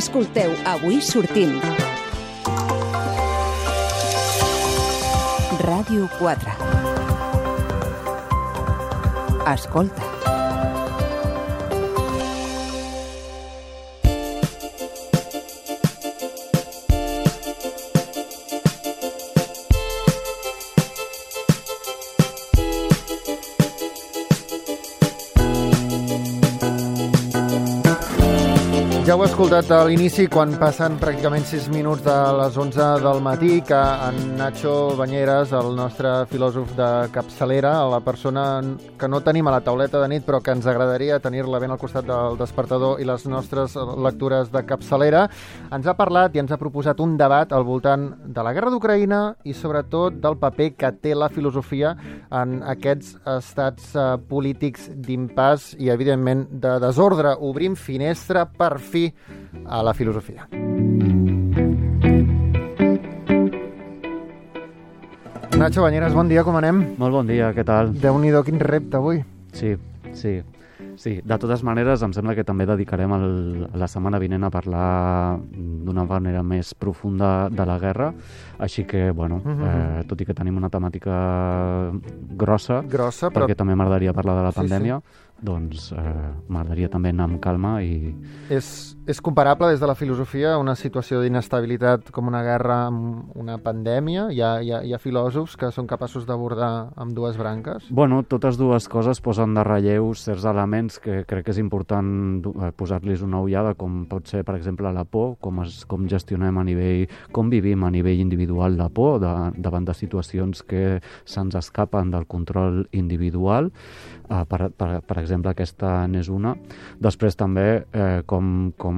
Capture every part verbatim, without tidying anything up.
Escolteu Avui sortim. Ràdio quatre. Escolta. Ja ho he escoltat a l'inici, quan passen pràcticament sis minuts de les onze del matí, que en Nacho Bañeres, el nostre filòsof de capçalera, la persona que no tenim a la tauleta de nit però que ens agradaria tenir-la ben al costat del despertador i les nostres lectures de capçalera, ens ha parlat i ens ha proposat un debat al voltant de la guerra d'Ucraïna i sobretot del paper que té la filosofia en aquests estats uh, polítics d'impàs i, evidentment, de desordre. Obrim finestra per fi a la filosofia. Nacho Bañeres, bon dia, com anem? Molt bon dia, què tal? Déu-n'hi-do, quin repte avui. Sí, sí, sí. De totes maneres, em sembla que també dedicarem el, la setmana vinent a parlar d'una manera més profunda de la guerra, així que, bueno, uh-huh. eh, tot i que tenim una temàtica grossa, grossa però... perquè també m'agradaria parlar de la sí, pandèmia, sí. doncs eh, m'agradaria també anar amb calma i... És, és comparable des de la filosofia una situació d'inestabilitat com una guerra amb una pandèmia? Hi ha, hi ha, hi ha filòsofs que són capaços d'abordar amb dues branques? Bueno, totes dues coses posen de relleu certs elements que crec que és important posar-los una ullada, com pot ser, per exemple, la por, com, es, com gestionem a nivell, com vivim a nivell individual la por de, davant de situacions que se'ns escapen del control individual. Uh, per, per, per exemple, aquesta n'és una. Després també eh, com, com,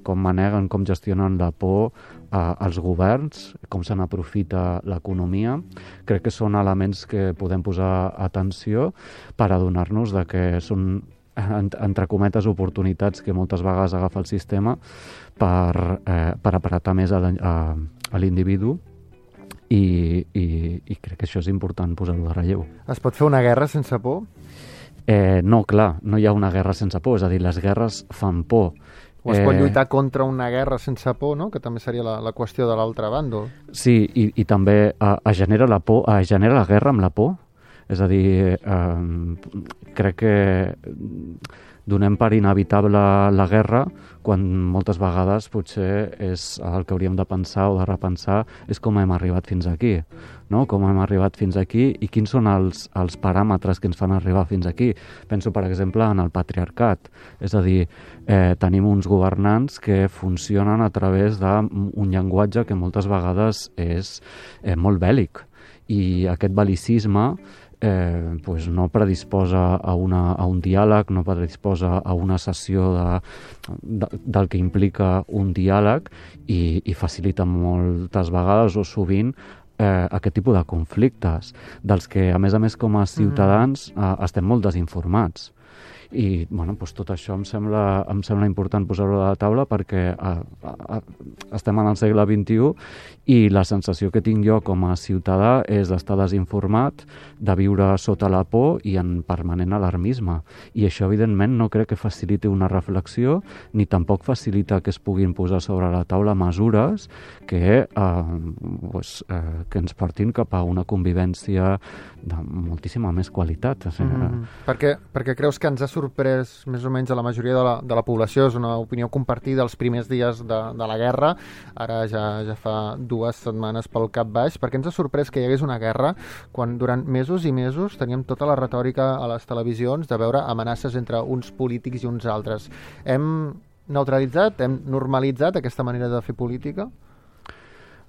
com maneguen, com gestionen la por uh, els governs, com se n'aprofita l'economia. Crec que són elements que podem posar atenció per adonar-nos de que són, entre cometes, oportunitats que moltes vegades agafa el sistema per, eh, per apretar més a, a, a l'individu. I, i, i crec que això és important posar-ho de relleu. Es pot fer una guerra sense por? Eh, no, clar, no hi ha una guerra sense por, és a dir, les guerres fan por. O es pot lluitar contra una guerra sense por, no? Que també seria la, la qüestió de l'altre bàndol. Sí, i, i també eh, es genera la por, es genera la guerra amb la por. És a dir, eh, crec que donem per inevitable la guerra quan moltes vegades potser és el que hauríem de pensar o de repensar és com hem arribat fins aquí, no? Com hem arribat fins aquí i quins són els, els paràmetres que ens fan arribar fins aquí. Penso, per exemple, en el patriarcat. És a dir, eh, tenim uns governants que funcionen a través d'un llenguatge que moltes vegades és eh, molt bèl·lic. I aquest bel·licisme Eh, pues no predisposa a, una, a un diàleg, no predisposa a una sessió de, de, del que implica un diàleg i, i facilita moltes vegades o sovint eh, aquest tipus de conflictes, dels que, a més a més, com a ciutadans eh, estem molt desinformats. I bueno, doncs tot això em sembla, em sembla important posar-ho a la taula perquè a, a, a, estem en el segle vint-i-u i la sensació que tinc jo com a ciutadà és d'estar desinformat, de viure sota la por i en permanent alarmisme. I això, evidentment, no crec que faciliti una reflexió ni tampoc facilita que es puguin posar sobre la taula mesures que, eh, pues, eh, que ens portin cap a una convivència de moltíssima més qualitat. O sigui, mm-hmm. perquè, perquè creus que ens ha sorprès més o menys a la majoria de la, de la població, és una opinió compartida els primers dies de, de la guerra, ara ja, ja fa dues setmanes pel cap baix, perquè ens ha sorprès que hi hagués una guerra quan durant mesos i mesos teníem tota la retòrica a les televisions de veure amenaces entre uns polítics i uns altres. Hem neutralitzat, hem normalitzat aquesta manera de fer política?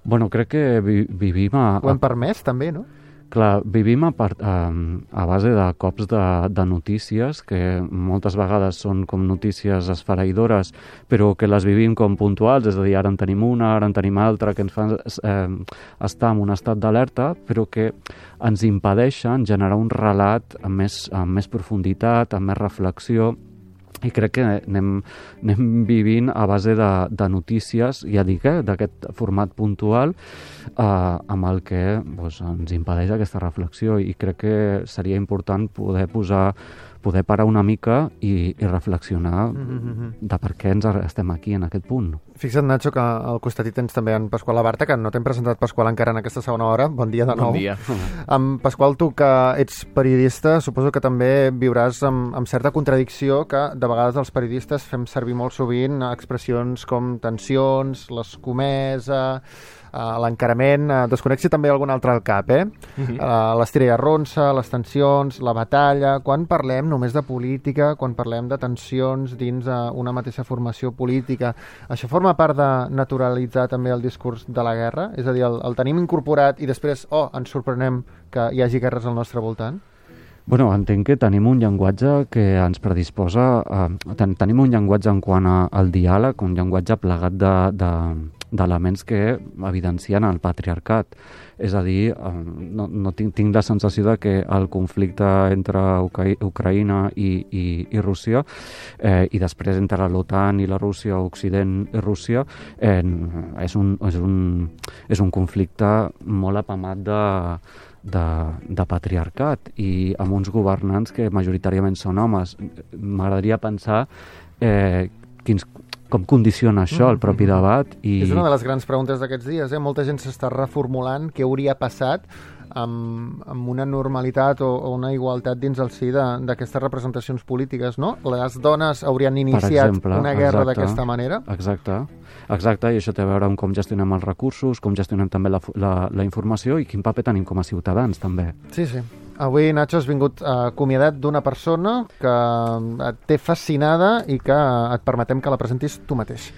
Bueno, crec que vi vivim a... Ho hem permès també, no? Clar, vivim a, part, a, a base de cops de, de notícies que moltes vegades són com notícies esfereïdores, però que les vivim com puntuals, és a dir, ara en tenim una, ara en tenim altra, que ens fan eh, estar en un estat d'alerta, però que ens impedeixen generar un relat amb més, amb més profunditat, amb més reflexió. I crec que anem, anem vivint a base de, de notícies, ja dic, eh, d'aquest format puntual, eh, amb el que doncs, ens impedeix aquesta reflexió. I crec que seria important poder posar poder parar una mica i, i reflexionar Mm-hmm. de per què ens estem aquí en aquest punt. Fixa't, Nacho, que al costat hi tens també en Pasqual Abarta, que no t'hem presentat, Pasqual, encara en aquesta segona hora. Bon dia de nou. Bon dia. Amb Pasqual, tu que ets periodista, suposo que també viuràs amb, amb certa contradicció, que de vegades els periodistes fem servir molt sovint expressions com tensions, l'escomesa, Uh, l'encarament, uh, desconnexi també algun altre al cap, eh? Uh-huh. Uh, l'estira i arronsa, les tensions, la batalla. Quan parlem només de política, quan parlem de tensions dins uh, una mateixa formació política, això forma part de naturalitzar també el discurs de la guerra? És a dir, el, el tenim incorporat i després, oh, ens sorprenem que hi hagi guerres al nostre voltant? Bueno, entenc que tenim un llenguatge que ens predisposa... A, ten, tenim un llenguatge en quant a, al diàleg, un llenguatge plegat de, de, d'elements que evidencien el patriarcat. És a dir, no, no tinc, tinc la sensació de que el conflicte entre Ucra Ucraïna i, i, i Rússia eh, i després entre l'OTAN i la Rússia, Occident i Rússia, eh, és, un, és, un, és un conflicte molt apamat de... De, de patriarcat i amb uns governants que majoritàriament són homes. M'agradaria pensar eh, quins, com condiciona això el propi debat. I... És una de les grans preguntes d'aquests dies. Eh? Molta gent s'està reformulant què hauria passat amb, amb una normalitat o, o una igualtat dins el si d'aquestes representacions polítiques, no? Les dones haurien iniciat exemple, una guerra d'aquesta manera? Exacte. Exacte, i això té a veure amb com gestionem els recursos, com gestionem també la, la, la informació i quin paper tenim com a ciutadans, també. Sí, sí. Avui, Nacho, has vingut acomiadat d'una persona que et té fascinada i que et permetem que la presentis tu mateix.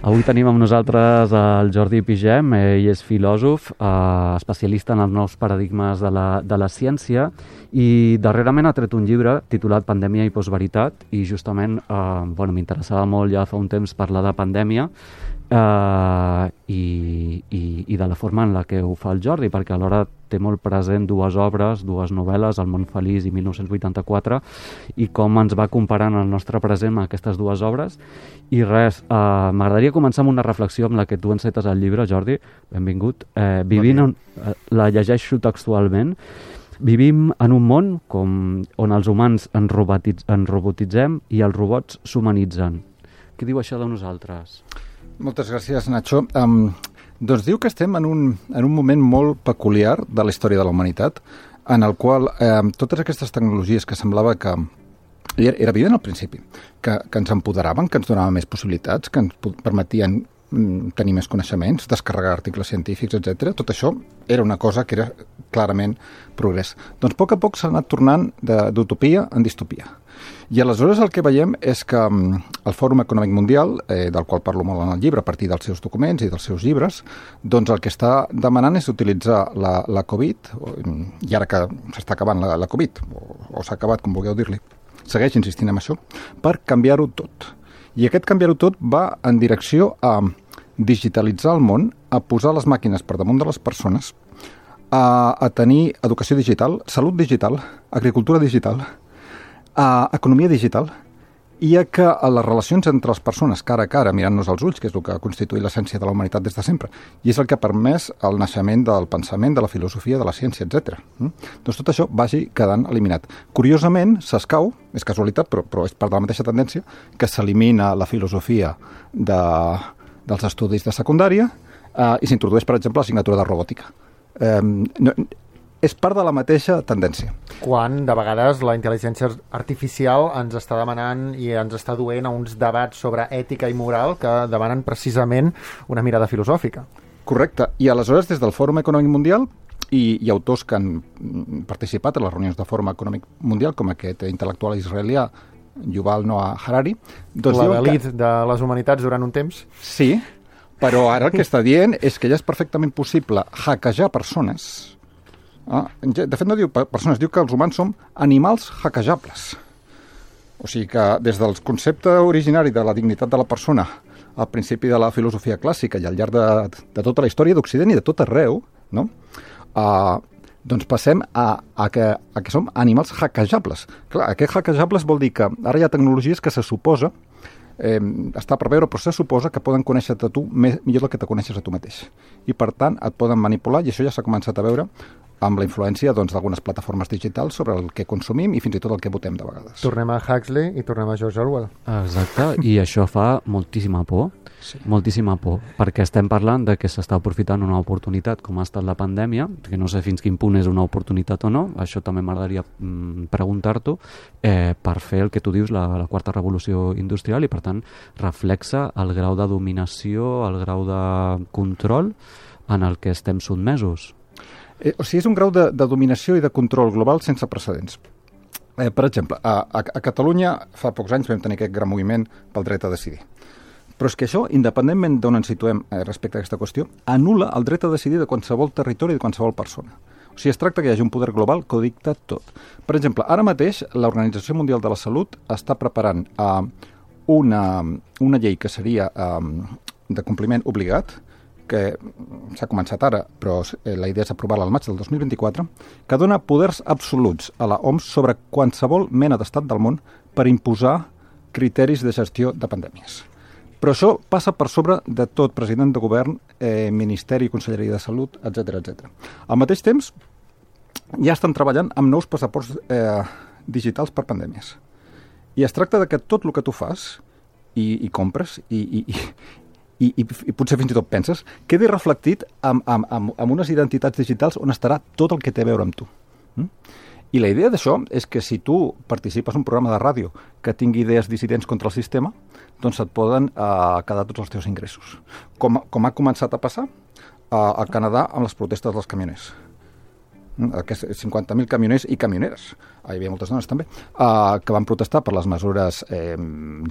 Avui tenim amb nosaltres el Jordi Pigem, ell és filòsof, eh, especialista en els nous paradigmes de la, de la ciència i darrerament ha tret un llibre titulat Pandèmia i postveritat i justament eh, bueno, m'interessava molt ja fa un temps parlar de pandèmia eh, i, i, i de la forma en la que ho fa el Jordi, perquè alhora té molt present dues obres, dues novel·les, El món feliç i mil nou-cents vuitanta-quatre, i com ens va comparant el nostre present amb aquestes dues obres. I res, eh, m'agradaria començar amb una reflexió amb la que tu encetes el llibre, Jordi, benvingut. Eh, vivint on, eh, la llegeixo textualment. Vivim en un món com, on els humans ens, robotitz, ens robotitzem i els robots s'humanitzen. Què diu això de nosaltres? Moltes gràcies, Nacho. Um, doncs diu que estem en un, en un moment molt peculiar de la història de la humanitat, en el qual eh, totes aquestes tecnologies que semblava que era, era evident al principi, que, que ens empoderaven, que ens donaven més possibilitats, que ens permetien mm, tenir més coneixements, descarregar articles científics, etcètera. Tot això era una cosa que era clarament progrés. Doncs a poc a poc s'ha anat tornant d'utopia en distopia. I aleshores el que veiem és que el Fòrum Econòmic Mundial, eh, del qual parlo molt en el llibre a partir dels seus documents i dels seus llibres, doncs el que està demanant és utilitzar la, la Covid, i ara que s'està acabant la, la Covid, o, o s'ha acabat, com vulgueu dir-li, segueix insistint en això, per canviar-ho tot. I aquest canviar-ho tot va en direcció a digitalitzar el món, a posar les màquines per damunt de les persones, a, a tenir educació digital, salut digital, agricultura digital, a economia digital, i a que a les relacions entre les persones cara a cara, mirant-nos als ulls, que és el que ha constituït l'essència de la humanitat des de sempre, i és el que ha permès el naixement del pensament, de la filosofia, de la ciència, etcètera. Mm? Doncs tot això vagi quedant eliminat. Curiosament, s'escau, és casualitat, però, però és part de la mateixa tendència, que s'elimina la filosofia de, dels estudis de secundària eh, i s'introdueix, per exemple, l'assignatura de robòtica. Eh, no, és part de la mateixa tendència. Quan, de vegades, la intel·ligència artificial ens està demanant i ens està duent a uns debats sobre ètica i moral que demanen precisament una mirada filosòfica. Correcte. I aleshores, des del Fòrum Econòmic Mundial i, i autors que han participat a les reunions del Fòrum Econòmic Mundial, com aquest intel·lectual israelià, Yuval Noah Harari... Doncs l'elit que... de les humanitats durant un temps. Sí, però ara el que està dient és que ja és perfectament possible hackejar persones. Ah, de fet no diu persones, diu que els humans som animals hackejables. O sigui que des del concepte originari de la dignitat de la persona al principi de la filosofia clàssica i al llarg de, de tota la història d'Occident i de tot arreu, no? Uh, doncs passem a, a, que, a que som animals hackejables. Clar, aquest hackejables vol dir que ara hi ha tecnologies que se suposa Eh, està per veure, però se suposa que poden conèixer-te tu més, millor del que te coneixes a tu mateix. I per tant et poden manipular, i això ja s'ha començat a veure amb la influència doncs, d'algunes plataformes digitals sobre el que consumim i fins i tot el que votem de vegades. Tornem a Huxley i tornem a George Orwell. Exacte, i això fa moltíssima por, sí. moltíssima por, perquè estem parlant de que s'està aprofitant una oportunitat com ha estat la pandèmia, que no sé fins quin punt és una oportunitat o no, això també m'agradaria mm, preguntar-t'ho, eh, per fer el que tu dius, la, la quarta revolució industrial, i per tant reflexa el grau de dominació, el grau de control en el que estem sotmesos. Eh, o sigui, és un grau de, de dominació i de control global sense precedents. Eh, per exemple, a, a, a Catalunya fa pocs anys vam tenir aquest gran moviment pel dret a decidir. Però és que això, independentment d'on ens situem eh, respecte a aquesta qüestió, anul·la el dret a decidir de qualsevol territori i de qualsevol persona. O sigui, es tracta que hi hagi un poder global que ho dicta tot. Per exemple, ara mateix l'Organització Mundial de la Salut està preparant eh, una, una llei que seria eh, de compliment obligat, que s'ha començat ara, però la idea és aprovar-la al maig del dos mil vint-i-quatre, que dona poders absoluts a la O M S sobre qualsevol mena d'estat del món per imposar criteris de gestió de pandèmies. Però això passa per sobre de tot president de govern, eh, Ministeri, Conselleria de Salut, etcètera, etcètera. Al mateix temps, ja estan treballant amb nous passaports eh, digitals per pandèmies. I es tracta de que tot el que tu fas i, i compres i, i, i I, i, i potser fins i tot penses, quedi reflectit amb, amb, amb, amb unes identitats digitals on estarà tot el que té a veure amb tu. Mm? I la idea d'això és que si tu participes en un programa de ràdio que tingui idees dissidents contra el sistema, doncs et poden eh, quedar tots els teus ingressos. Com, com ha començat a passar eh, al Canadà amb les protestes dels camioners. Aquests cinquanta mil camioners i camioneres, hi havia moltes dones també, uh, que van protestar per les mesures eh,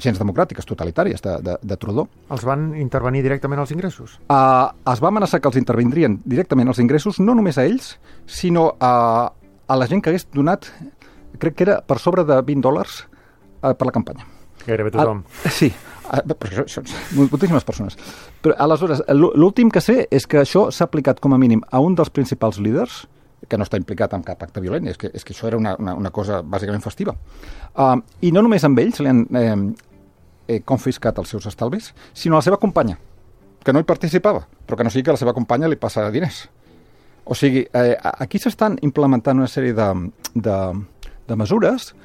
gens democràtiques, totalitàries de, de, de Trudeau. Els van intervenir directament als ingressos? Uh, es va amenaçar que els intervindrien directament als ingressos, no només a ells, sinó a, a la gent que hagués donat, crec que era per sobre de vint dòlars uh, per la campanya. Gairebé tothom. Uh, sí, uh, però això, això, moltíssimes persones. Però aleshores, l'últim que sé és que això s'ha aplicat com a mínim a un dels principals líders, que no està implicat en cap acte violent, és que, és que això era una, una, una cosa bàsicament festiva. Uh, I no només amb ells li han eh, eh, confiscat els seus estalvis, sinó a la seva companya, que no hi participava, però que no sigui que a la seva companya li passa diners. O sigui, eh, aquí s'estan implementant una sèrie de, de, de mesures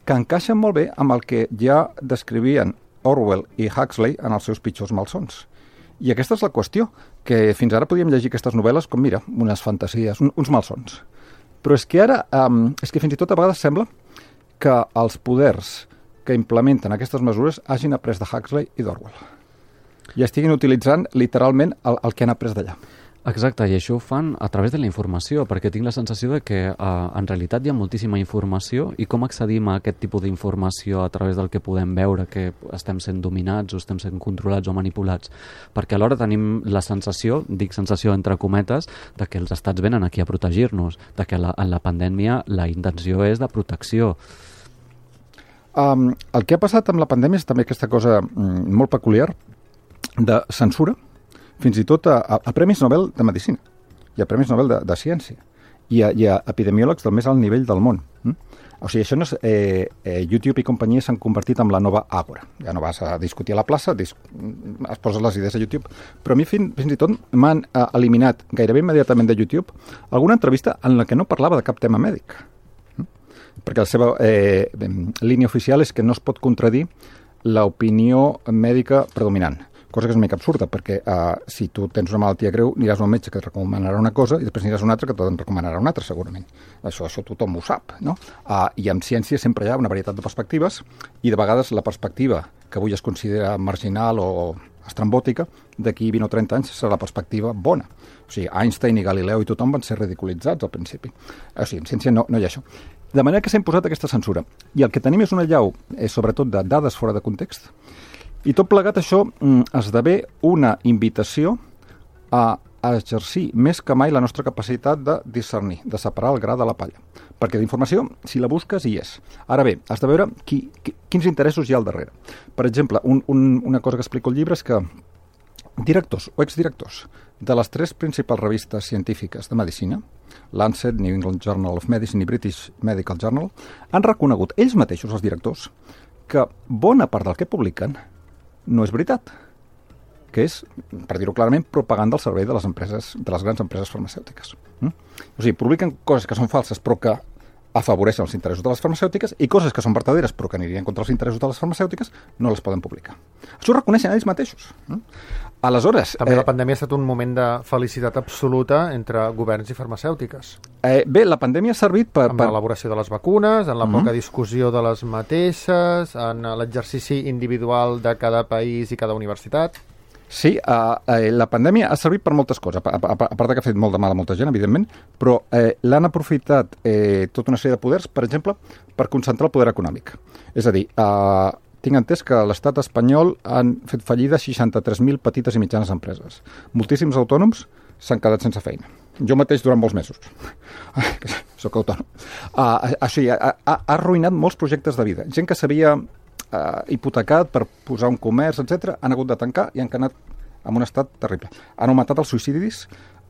que encaixen molt bé amb el que ja descrivien Orwell i Huxley en els seus pitjors malsons. I aquesta és la qüestió, que fins ara podíem llegir aquestes novel·les com, mira, unes fantasies, un, uns malsons. Però és que ara, um, és que fins i tot a vegades sembla que els poders que implementen aquestes mesures hagin après de Huxley i d'Orwell. I estiguin utilitzant literalment el, el que han après d'allà. Exacte, i això ho fan a través de la informació, perquè tinc la sensació de que eh, en realitat hi ha moltíssima informació, i com accedim a aquest tipus d'informació a través del que podem veure, que estem sent dominats o estem sent controlats o manipulats, perquè alhora tenim la sensació, dic sensació entre cometes, de que els estats venen aquí a protegir-nos, de que la, en la pandèmia la intenció és de protecció. Um, el que ha passat amb la pandèmia és també aquesta cosa mm, molt peculiar de censura, fins i tot a, a, a Premis Nobel de Medicina i a Premis Nobel de, de Ciència i a, i a epidemiòlegs del més alt nivell del món. Mm? O sigui, això no és, eh, eh, YouTube i companyia s'han convertit en la nova àgora. Ja no vas a discutir a la plaça, dis, es poses les idees a YouTube. Però a mi fin, fins i tot m'han eh, eliminat gairebé immediatament de YouTube alguna entrevista en la que no parlava de cap tema mèdic. Mm? Perquè la seva eh, línia oficial és que no es pot contradir l'opinió mèdica predominant. Cosa que és una mica absurda, perquè uh, si tu tens una malaltia greu, aniràs a un metge que et recomanarà una cosa i després aniràs a un altre que te'n recomanarà una altra, segurament. Això, això tothom ho sap, no? Uh, I en ciència sempre hi ha una varietat de perspectives i de vegades la perspectiva que avui es considera marginal o estrambòtica, d'aquí vint o trenta anys serà la perspectiva bona. O sigui, Einstein i Galileu i tothom van ser ridiculitzats al principi. O sigui, en ciència no, no hi ha això. De manera que s'ha imposat aquesta censura. I el que tenim és una allau, eh, sobretot de dades fora de context, i tot plegat això mm, esdevé una invitació a, a exercir més que mai la nostra capacitat de discernir, de separar el gra de la palla. Perquè d'informació, si la busques, hi és. Ara bé, has de veure qui, qui, quins interessos hi ha al darrere. Per exemple, un, un, una cosa que explico al llibre és que directors o exdirectors de les tres principals revistes científiques de medicina, Lancet, New England Journal of Medicine i British Medical Journal, han reconegut ells mateixos, els directors, que bona part del que publiquen no és veritat. que és, per dir-ho clarament, propaganda al servei de les empreses, de les grans empreses farmacèutiques. Mm? O sigui, publiquen coses que són falses però que afavoreixen els interessos de les farmacèutiques i coses que són verdaderes però que anirien contra els interessos de les farmacèutiques no les poden publicar. Això ho reconeixen ells mateixos. Mm? Aleshores... També eh, la pandèmia ha estat un moment de felicitat absoluta entre governs i farmacèutiques. Eh, bé, la pandèmia ha servit per... Amb per... l'elaboració de les vacunes, en la Mm-hmm. poca discussió de les mateixes, en l'exercici individual de cada país i cada universitat. Sí, uh, eh, la pandèmia ha servit per moltes coses, a, a, a part que ha fet molt de mal a molta gent, evidentment, però eh, l'han aprofitat eh, tota una sèrie de poders, per exemple, per concentrar el poder econòmic. És a dir, uh, tinc entès que a l'estat espanyol han fet fallida seixanta-tres mil petites i mitjanes empreses. Moltíssims autònoms s'han quedat sense feina. Jo mateix durant molts mesos. Soc autònom. Uh, així, ha, ha, ha arruïnat molts projectes de vida. Gent que s'havia Uh, hipotecat per posar un comerç, etcètera, han hagut de tancar i han quedat en un estat terrible. Han augmentat els suïcidis.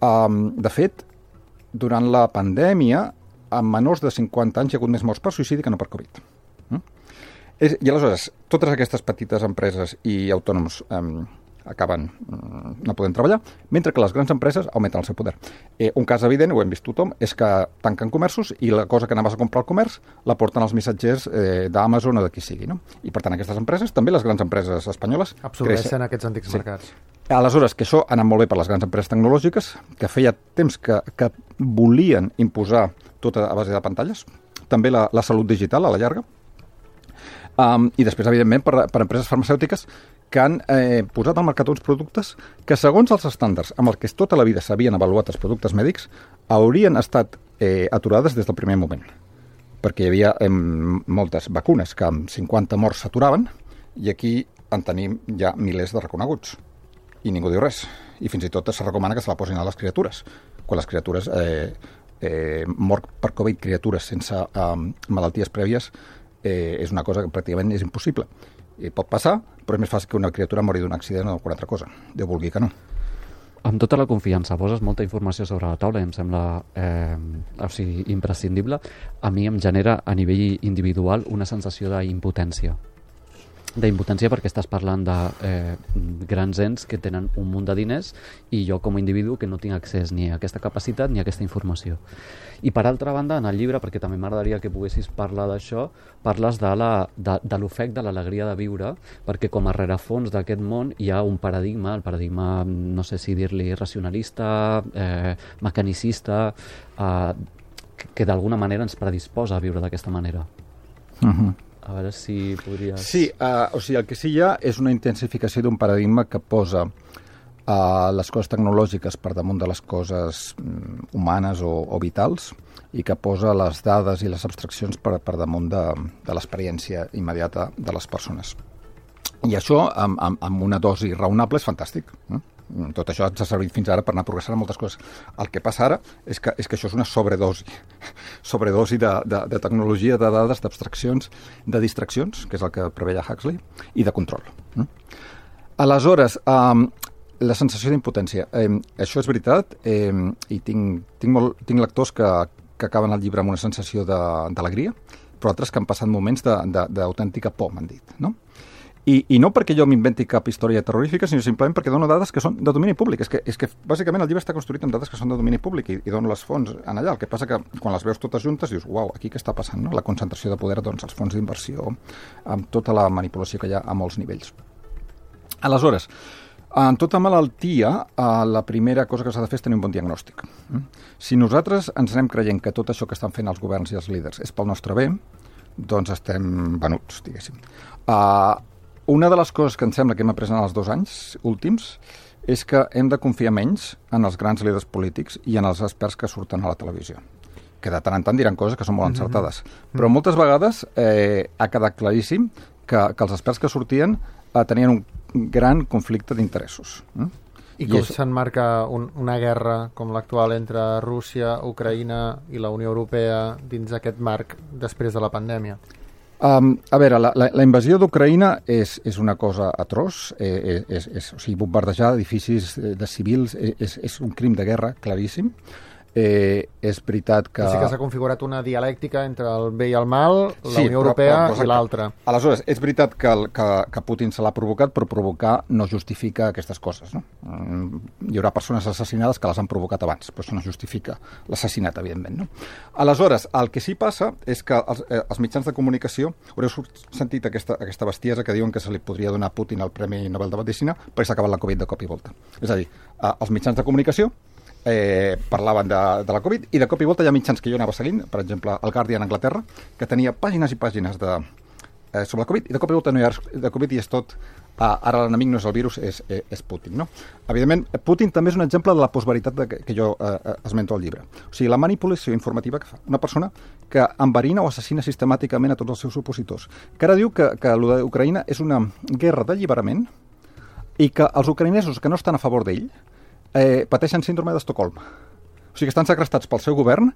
Um, de fet, durant la pandèmia, amb menors de cinquanta anys hi ha hagut més morts per suïcidi que no per Covid. Mm? És, I aleshores, totes aquestes petites empreses i autònoms um, acaben um, no podent treballar, mentre que les grans empreses augmenten el seu poder. Eh, un cas evident, ho hem vist tothom, és que tanquen comerços i la cosa que anaves a comprar al comerç la porten els missatgers eh, d'Amazon o de qui sigui. No? I per tant aquestes empreses, també les grans empreses espanyoles, absorbeixen creixen. aquests antics Sí. mercats. Aleshores, que això ha anat molt bé per les grans empreses tecnològiques, que feia temps que, que volien imposar tot a base de pantalles, també la, la salut digital a la llarga, um, i després, evidentment, per, per empreses farmacèutiques que han eh, posat al mercat uns productes que, segons els estàndards amb els que tota la vida s'havien avaluat els productes mèdics, haurien estat eh, aturades des del primer moment. Perquè hi havia eh, moltes vacunes que amb cinquanta morts s'aturaven i aquí en tenim ja milers de reconeguts. I ningú diu res. I fins i tot se recomana que se la posin a les criatures. Quan les criatures... Eh, eh, mort per Covid criatures sense eh, malalties prèvies eh, és una cosa que pràcticament és impossible. I pot passar, però és més fàcil que una criatura mori d'un accident o d'alguna altra cosa. Déu vulgui que no. Amb tota la confiança, poses molta informació sobre la taula i em sembla eh, o sigui, imprescindible. A mi em genera a nivell individual una sensació d'impotència. D'impotència perquè estàs parlant de eh, grans ens que tenen un munt de diners i jo com a individu que no tinc accés ni a aquesta capacitat ni a aquesta informació. I per altra banda, en el llibre, perquè també m'agradaria que poguessis parlar d'això, parles de la- de, de l'ofec de l'alegria de viure, perquè com a rerefons d'aquest món hi ha un paradigma, el paradigma, no sé si dir-li racionalista, eh, mecanicista, eh, que, que d'alguna manera ens predisposa a viure d'aquesta manera. Uh-huh. A veure si podries... Sí, uh, o sigui, el que sí hi ha és una intensificació d'un paradigma que posa uh, les coses tecnològiques per damunt de les coses um, humanes o, o vitals i que posa les dades i les abstraccions per, per damunt de, de l'experiència immediata de les persones. I això, amb, amb, amb una dosi raonable, és fantàstic. Eh? Tot això ens ha servit fins ara per anar progressant en moltes coses. El que passa ara és que, és que això és una sobredosi. Sobredosi de, de, de tecnologia, de dades, d'abstraccions, de distraccions, que és el que preveia Huxley, i de control. Eh? Aleshores, eh, la sensació d'impotència. Eh, això és veritat, eh, i tinc, tinc, molt, tinc lectors que, que acaben el llibre amb una sensació d'alegria, però altres que han passat moments d'autèntica por, m'han dit, no? I, I no perquè jo m'inventi cap història terrorífica, sinó simplement perquè dono dades que són de domini públic. És que, és que bàsicament el llibre està construït amb dades que són de domini públic i, i dono les fonts en allà. El que passa que quan les veus totes juntes dius, uau, aquí què està passant? No? La concentració de poder, doncs, els fons d'inversió, amb tota la manipulació que hi ha a molts nivells. Aleshores, en tota malaltia, la primera cosa que s'ha de fer és tenir un bon diagnòstic. Si nosaltres ens anem creient que tot això que estan fent els governs i els líders és pel nostre bé, doncs estem venuts, diguéssim. Uh, Una de les coses que em sembla que hem après en els dos anys últims és que hem de confiar menys en els grans líders polítics i en els experts que surten a la televisió, que de tant en tant diran coses que són molt encertades. Mm-hmm. Però moltes vegades eh, ha quedat claríssim que, que els experts que sortien eh, tenien un gran conflicte d'interessos. Eh? I com s'enmarca un, una guerra com l'actual entre Rússia, Ucraïna i la Unió Europea dins aquest marc després de la pandèmia? Um, a veure, la, la, la invasió d'Ucraïna és, és una cosa atroç, eh, és, és, o sigui, bombardejar edificis de civils és, és un crim de guerra claríssim. Eh, és veritat que... Sí que s'ha configurat una dialèctica entre el bé i el mal, la sí, Unió Europea però, però, i l'altra. Aleshores, és veritat que, el, que, que Putin se l'ha provocat, però provocar no justifica aquestes coses. No? Hi haurà persones assassinades que les han provocat abans, però això no justifica l'assassinat, evidentment. No? Aleshores, el que sí passa és que els, eh, els mitjans de comunicació, haureu sentit aquesta, aquesta bestiesa que diuen que se li podria donar a Putin el Premi Nobel de Medicina perquè s'ha acabat la Covid de cop i volta. És a dir, eh, els mitjans de comunicació Eh, parlaven de, de la Covid i de cop i volta hi ha mitjans que jo anava seguint, per exemple el Guardian a Anglaterra, que tenia pàgines i pàgines de, eh, sobre la Covid, i de cop i volta no hi ha de Covid i és tot, ah, ara l'enemic no és el virus, és, és, és Putin, no? Evidentment, Putin també és un exemple de la postveritat de que, que jo eh, esmento al llibre. O sigui, la manipulació informativa que fa una persona que enverina o assassina sistemàticament a tots els seus opositors, que ara diu que, que el d'Ucraïna és una guerra d'alliberament i que els ucraïnesos que no estan a favor d'ell Eh, pateixen síndrome d'Estocolm. O sigui que estan segrestats pel seu govern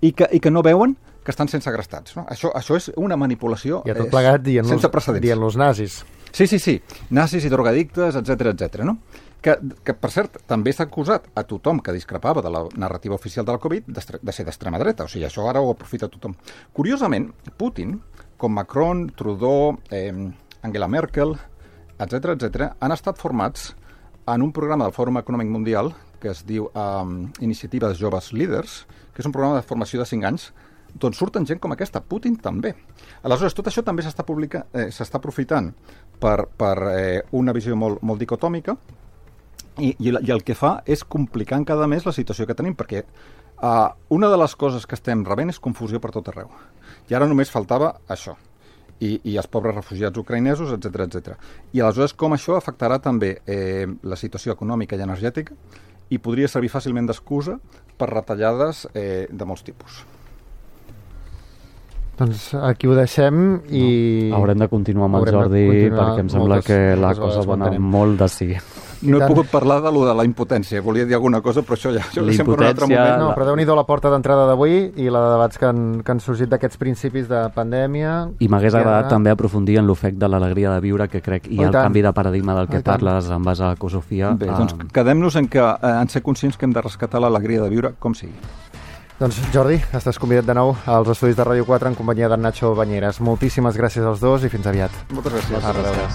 i que, i que no veuen que estan sent segrestats. No? Això, això és una manipulació I a tot plegat dient sense precedents. Dient-los nazis. Sí, sí, sí. Nazis i drogadictes, etcètera, etcètera. No? Que, que, per cert, també s'ha acusat a tothom que discrepava de la narrativa oficial de la Covid de ser d'extrema dreta. O sigui, això ara ho aprofita tothom. Curiosament, Putin, com Macron, Trudeau, eh, Angela Merkel, etcètera, etcètera, han estat formats en un programa del Fòrum Econòmic Mundial que es diu um, Iniciativa de Joves Líders, que és un programa de formació de cinc anys, d'on surten gent com aquesta, Putin també. Aleshores, tot això també s'està publica, eh, s'està aprofitant per, per eh, una visió molt, molt dicotòmica i, i, i el que fa és complicar encara més la situació que tenim, perquè uh, una de les coses que estem rebent és confusió per tot arreu. I ara només faltava això. I, i els pobres refugiats ucraïnesos, etcètera, etcètera. I aleshores com això afectarà també eh, la situació econòmica i energètica i podria servir fàcilment d'excusa per retallades eh, de molts tipus. Doncs aquí ho deixem i... No, haurem de continuar amb el Haurem Jordi perquè em sembla moltes, que la moltes cosa va anar mantenem. molt de sí. No he pogut parlar de lo de la impotència. Volia dir alguna cosa, però això ja això La sempre un altre impotència- moment. No, però déu-n'hi-do la porta d'entrada d'avui i la de debats que han, que han sorgit d'aquests principis de pandèmia. I m'hagués guerra. agradat també aprofundir en l'ofec de l'alegria de viure, que crec hi Oh, i ha el tant. canvi de paradigma del Oh, que i tant. parles en base a Ecosofia. Bé, doncs quedem-nos en, que, eh, en ser conscients que hem de rescatar l'alegria de viure com sigui. Doncs Jordi, estàs convidat de nou als estudis de Ràdio quatre en companyia d'en Nacho Banyeres. Moltíssimes gràcies als dos i fins aviat. Moltes gràcies. A reveure.